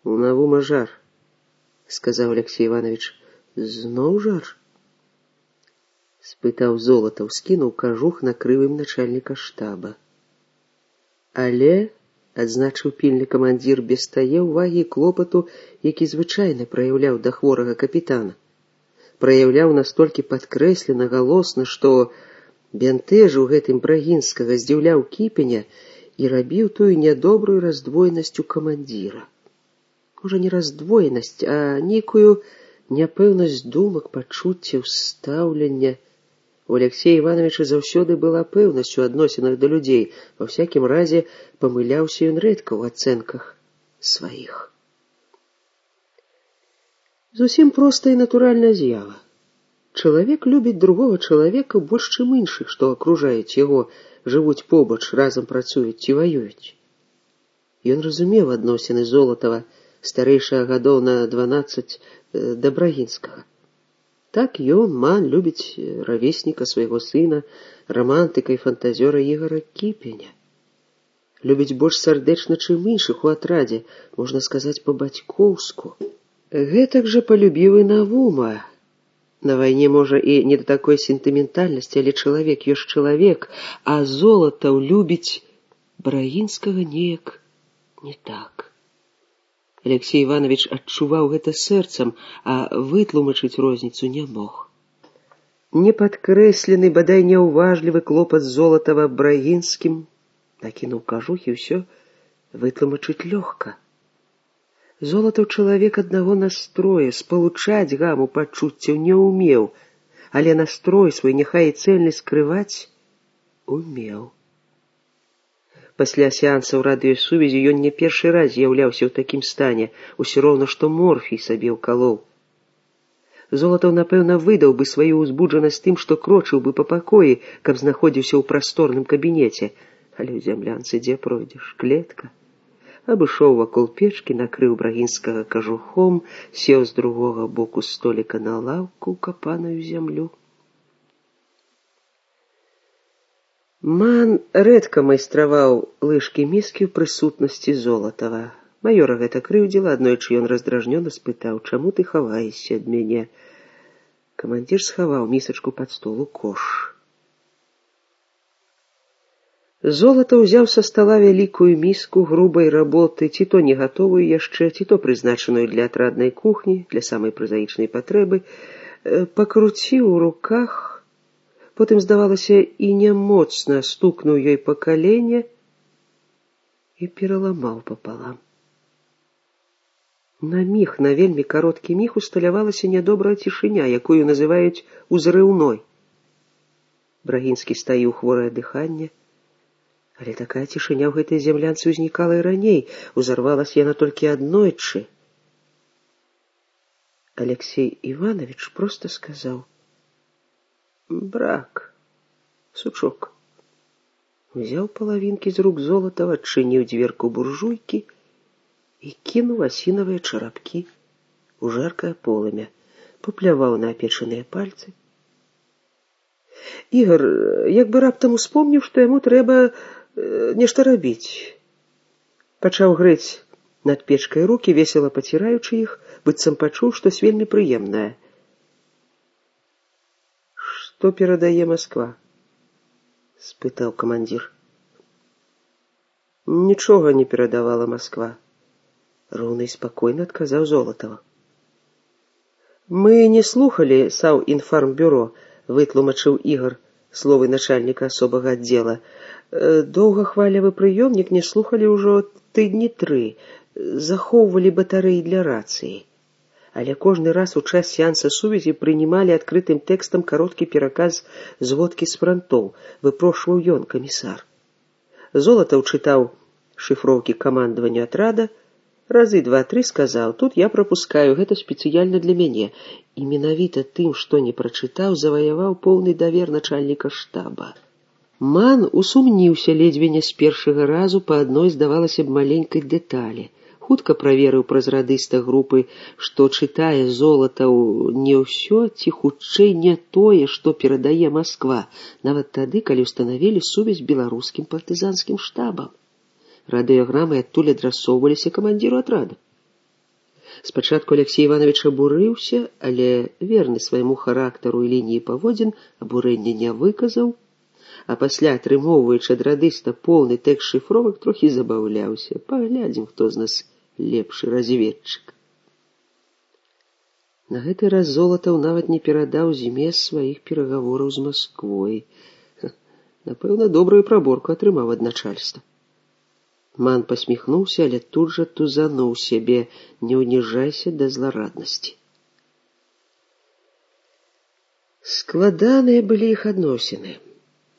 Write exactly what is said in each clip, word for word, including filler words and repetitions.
У Навума жар, сказаў Алексей Иванович. Зноў жар? Спытаў Золатаў, скінуў кажух, накрыў ім начальніка штаба. Але, адзначыў пільны камандзір, без тае ўвагі і клопату, які звычайна праяўляў да хворага капітана. Праяўляў настолькі падкрэслена, галосна, што бянтэжыў гэтым Брагінскага, здзіўляў Кіпеня і рабіў тую нядобрую раздвоенасць у камандзіра. Можа, не раздвоенасць, а нейкую няпэўнасць думак, пачуццяў, стаўлення. У Алексея Ивановича заўсёды была пэўнасць у адносінах да людзей, ва всякім разе памыляўся ён рэдка ў ацэнках сваіх. Зусім простая і натуральная з'ява. Чалавек любіць другога чалавека больш, чым іншых, што акружаюць яго, жывуць побач, разам працуюць ці ваююць. Ён разумеў адносіны Золатава, старэйшага гадоў на дванаццаць, да Брагінскага. Так ён, Ман, любіць равесніка свайго сына, рамантыка і фантазёра Ігара Кіпеня. Любіць больш сардэчна, чым іншых у атрадзе, можна сказаць, па-бацькоўску. Гэтак жа палюбіў і Навума. На вайне, можа, і не да такой сентыментальнасці, але чалавек ёсць чалавек, а Золатаў любіць Брагінскага неяк не так. Алексей Иванович адчуваў гэта сэрцам, а вытлумачыць розніцу не мог. Непадкрэслены, бадай няўважлівы клопат Золатава Брагінскім, накінуў кажух, і ўсё вытлумачыць лёгка. Золатаў чалавек аднаго настроя, спалучаць гаму пачуццяў не ўмеў, але настрой свой, няхай і цэльны, скрываць умеў. Пасля сеансаў радыёсувязі ён не першы раз з'яўляўся ў такім стане, усё роўна, што морфій сабе ўкалоў. Золатаў, напэўна, выдаў бы сваю ўзбуджанасць тым, што крочыў бы па пакоі, каб знаходзіўся ў прасторным кабінеце, але ў зямлянцы дзе пройдзеш, клетка. Абышоў вакол печкі, накрыў Брагінскага кажухом, сеў з другога боку століка на лаўку, капаную зямлю. Ман рэдка майстраваў лыжкі-міскі ў прысутнасці Золатава. Маёра гэта крыўдзіла, аднойчы ён раздражнёна спытаў: «Чаму ты хаваешся ад мяне?» Камандзір схаваў місачку пад стол у кош. Золатаў узяў са стала вялікую міску грубай работы, ці то не гатовую яшчэ, ці то прызначаную для атраднай кухні, для самай празаічнай патрэбы, пакруціў у руках, потым, здавалася, і нямоцна стукнуў ёй па калене і пераламаў папалам. На міг, на вельмі кароткі міг усталявалася нядобрая цішыня, якую называюць узрыўной. Брагінскі стаіў хворае дыханне, але такая цішыня ў гэтай зямлянцы ўзнікала і раней, узарвалася яна толькі аднойчы. Алексей Иванович проста сказаў: «Брак, сучок». Узяў палавінкі з рук Золатава, адчыніў дзверку буржуйкі і кінуў асінавыя чарапкі у жаркае полымя, папляваў на апечаныя пальцы. Ігар як бы раптам успомніў, што яму трэба нешта рабіць. Пачаў грэць над печкай рукі, весела паціраючы іх, быццам пачуў штось вельмі прыемнае. «Што перадае Масква?» — спытаў камандзір. «Нічога не перадавала Масква», — роўна і спакойна адказаў Золатава. «Мы не слухалі Саўінфармбюро», — вытлумачыў Ігар словы начальніка асобага аддзела. «Доўгахвалявы прыёмнік не слухалі ўжо тыдні тры, захоўвалі батарэі для рацыі. Але кожны раз у час сеанса сувязі прынималі адкрытым тэкстам кароткі пераказ зводкі з франтоў, выпрошваў ён, камісар. Золатаў чытаў шыфроўкі камандаванню атрада, разы два-тры сказаў: «Тут я прапускаю, гэта спецыяльна для мяне». І менавіта тым, што не прачытаў, заваяваў поўны давер начальніка штаба. Ман усумніўся ледзьве не з першага разу па адной, здавалася б, маленькай дэталі. Хутка праверыў праз радыста групы, што чытае Золатаў не ўсё, ці хутчэй не тое, што перадае Масква, нават тады, калі ўстанавілі сувязь беларускім партызанскім штабам. Радыёграмы адтуль адрасоўваліся камандзіру атрада. Спачатку Алексей Иванович абурыўся, але верны свайму характару і лініі паводзін абурэння не выказаў, а пасля, атрымоўваючы ад радыста поўны тэкст шыфровак, трохі забаўляўся. Паглядзім, хто з нас лепшы разведчык. На гэты раз Золатаў нават не перадаў змест сваіх перагавораў з Масквой. Напэўна, добрую праборку атрымаў ад начальства. Ман пасміхнуўся, але тут жа тузануў сябе: не ўніжайся да злараднасці. Складаныя былі іх адносіны.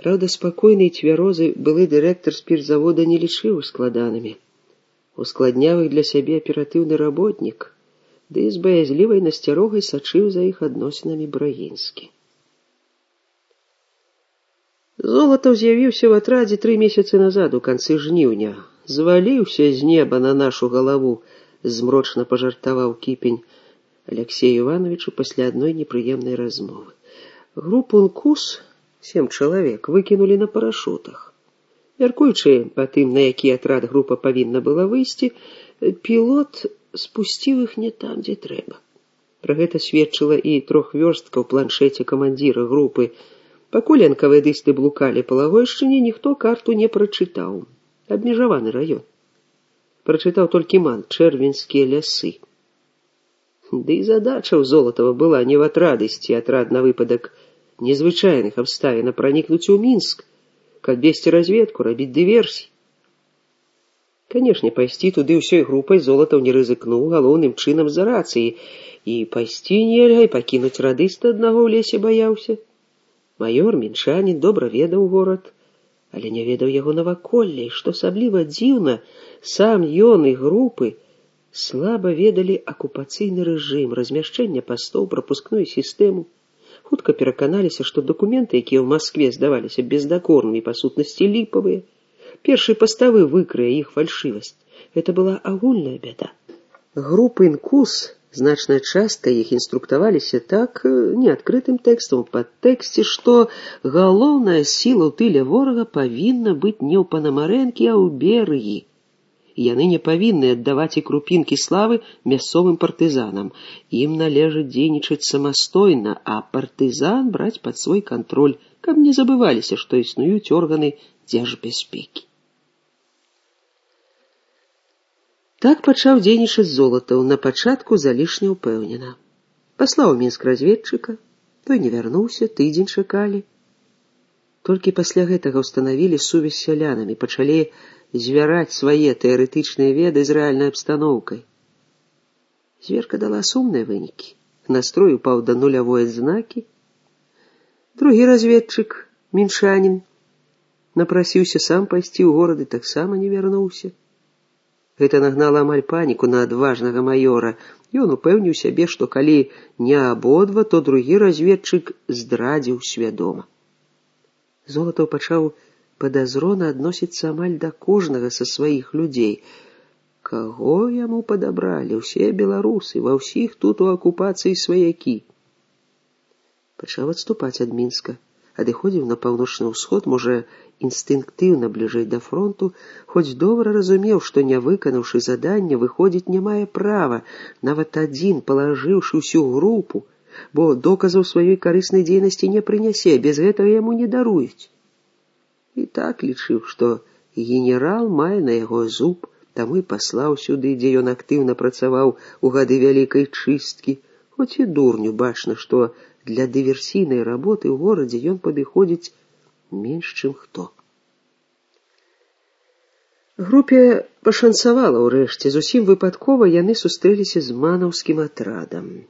Праўда, спакойны і цвярозы былы дырэктар спіртзавода не лічыў складанымі. Ускладняў іх для сябе аператыўны работнік, ды з баязлівай насцярогай сачыў за іх адносінамі Брагінскі. Золатаў з'явіўся ў атрадзе тры месяцы назад, у канцы жніўня. Зваліўся з неба на нашу галаву, змрочна пажартаваў Кіпень Алексею Івановичу пасля адной непрыемнай размовы. Групу «Нкус», сем чалавек, выкінулі на парашутах. Мяркуючы па тым, на які атрад група павінна была выйсці, пілот спусціў іх не там, дзе трэба. Пра гэта сведчыла і трохвёрстка ў планшеце камандзіра групы. Пакуль энкавэдысты блукалі па Лагойшчыне, ніхто карту не прачытаў. Абмежаваны раён. Прачытаў толькі Ман: Чэрвеньскія лясы. Ды і задача ў Золатава была не в атрад ісці, атрад на выпадак незвычайных абставін, а пранікнуць у Мінск, каб весці разведку, рабіць дыверсій. Канешне, пайсці туды ўсёй групай Золатаў не рызыкнуў, галоўным чынам з-за рацыі. І пайсці нельга, і пакінуць радыста аднаго ў лесе баяўся. Маёр, мінчанін, добра ведаў горад, але не ведаў яго наваколля, і, што асабліва дзіўна, сам ён і групы слаба ведалі акупацыйны рэжым, размяшчэнне пастоў, прапускную сістэму. Хутка пераканаліся, што дакументы, якія ў Маскве здаваліся бездакорнымі, па сутнасці ліпавыя. Першы паставы выкрые іх фальшывасць. Гэта была агульная бяда. Групы «Нкус», значная частка іх інструктаваліся так, не адкрытым тэкстам, пад тэксце, што галоўная сіла ў тыле ворага павінна быць не ў Панамарэнкі, а ў Берыі. Яны не павінны аддаваць і крупінкі славы мясцовым партызанам. Ім належыць дзейнічаць самастойна, а партызан браць пад свой кантроль, каб не забываліся, што існуюць органы дзяржбяспекі. Так пачаў дзейнічаць Золатаў, на пачатку залішне ўпэўнена. Паслаў у Мінск разведчыка, той не вярнуўся, тыдзень чакалі. Толькі пасля гэтага ўстанавілі сувязь з сялянамі, пачалі звяраць свае тэарэтычныя веды з рэальнай абстаноўкай. Зверка дала сумныя вынікі. Настрой упаў да нулявой адзнакі. Другі разведчык, мінчанін, напрасіўся сам пайсці ў горад і таксама не вярнуўся. Гэта нагнала амаль паніку на адважнага маёра. Ён упэўніў сябе, што калі не абодва, то другі разведчык здрадзіў свядома. Золатаў пачаў падазрона адносіцца амаль да кожнага са сваіх людзей. Каго яму падабралі? Усе беларусы, ва ўсіх тут у акупацыі сваякі. Пачаў адступаць ад Мінска, адыходзіў на паўночны ўсход, можа, інстынктыўна бліжэй да фронту, хоць добра разумеў, што не выканаўшы задання, выходзіць не мае права, нават адзін, палажыўшы ўсю групу, бо доказаў сваёй карыснай дзейнасці не прынясе, без гэтага яму не даруюць. І так лічыў, што генерал мае на яго зуб, таму і паслаў сюды, дзе ён актыўна працаваў у гады вялікай чысткі, хоць і дурню бачна, што для дыверсійнай работы ў горадзе ён падыходзіць менш, чым хто. Групе пашанцавала ўрэшце. Зусім выпадкова яны сустрэліся з манаўскім атрадам.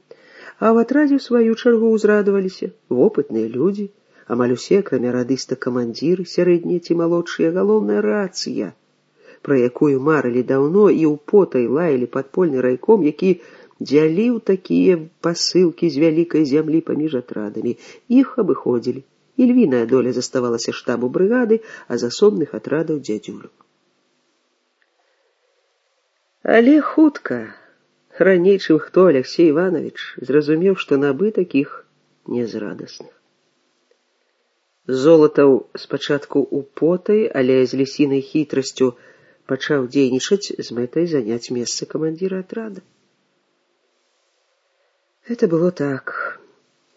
А ў атрадзе, ў сваю чаргу, узрадаваліся вопытныя людзі, амаль усе, акрамя радыста, камандзіры, сярэднія ці малодшыя, галоўная рацыя, пра якую марылі даўно і ў потай лаялі падпольны райком, які дзяліў такія пасылкі з вялікай зямлі паміж атрадамі. Іх абыходзілі. І львіная доля заставалася штабу брыгады, а з асобных атрадаў дзядзюлю. Але хутка, раней, чым хто, Алексей Иванович зразумеў, што набытак іх не з радасных. Золатаў спачатку употай, але з лісінай хітрасцю пачаў дзейнічаць з мэтай заняць месца камандзіра атрада. Это было так.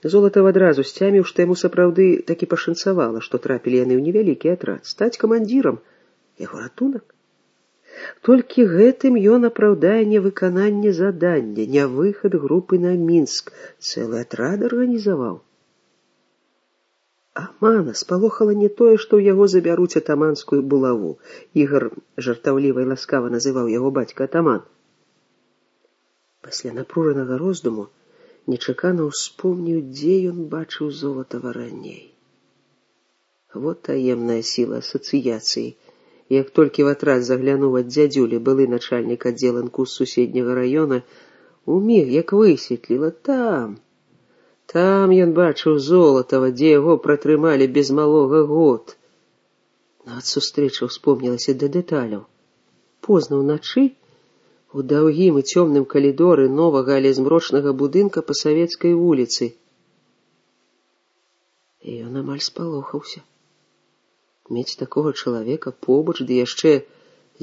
Золатаў адразу сцяміў, што яму сапраўды такі пашанцавала, што трапілі яны ў невялікі атрад. Стаць камандзірам — яго ратунак. Толькі гэтым ён апраўдае невыкананне задання, не выхад групы на Мінск, цэлы атрад арганізаваў. Амана спалохала не тое, што ў яго забяруць атаманскую булаву. Ігар жартаўліва і ласкава называў яго бацька атаман. Пасля напружанага роздуму нечакана ўспомніў, дзе ён бачыў Золатава раней. Вот таемная сіла асацыяцыі. Як толькі в атрад заглянуў ад дзядзюлі былы начальнік аддзеленку з суседняга раёна, уміг як высветліла там. Там ён бачыў Золатава, дзе яго пратрымалі без малога год. Нават сустрэча ўспомнілася да дэталяў. Позна ўначы у даўгім і цёмным калідоры новага, але змрочнага будынка па Савецкай вуліцы. І ён амаль спалохаўся. Мець такога чалавека побач, ды яшчэ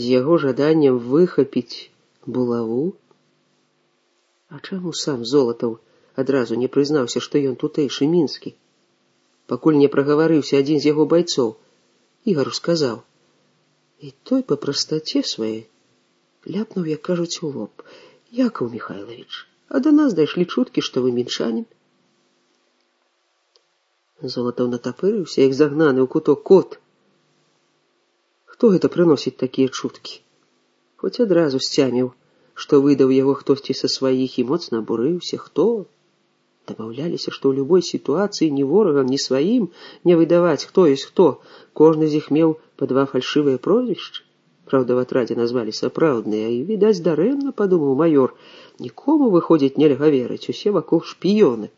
з яго жаданнем выхапіць булаву? А чаму сам Золатаў адразу не прызнаўся, што ён тутэйшы мінскі? Пакуль не прагаварыўся адзін з яго байцоў, Ігару сказаў. І той па прастаце сваёй ляпнуў, як кажуць, у лоб. Якаў Міхайлавіч, а да нас дайшлі чуткі, што вы мінчанін. Золатаў натапырыўся, як загнаны ў куток кот. Хто гэта прыносіць такія чуткі? Хоць адразу сцяміў, што выдаў яго хтосьці са сваіх, і моцна абурыўся. Хто? Дамаўляліся, што ў любой сітуацыі ні ворагам, ні сваім не выдаваць, хто ёсць хто. Кожны з іх меў па два фальшывыя прозвішчы. Праўда, в атрадзе назвалі сапраўдныя, і, відаць, дарэмна, падумаў маёр. Нікому, выходзіць, нельга верыць, усе вакол шпіёны.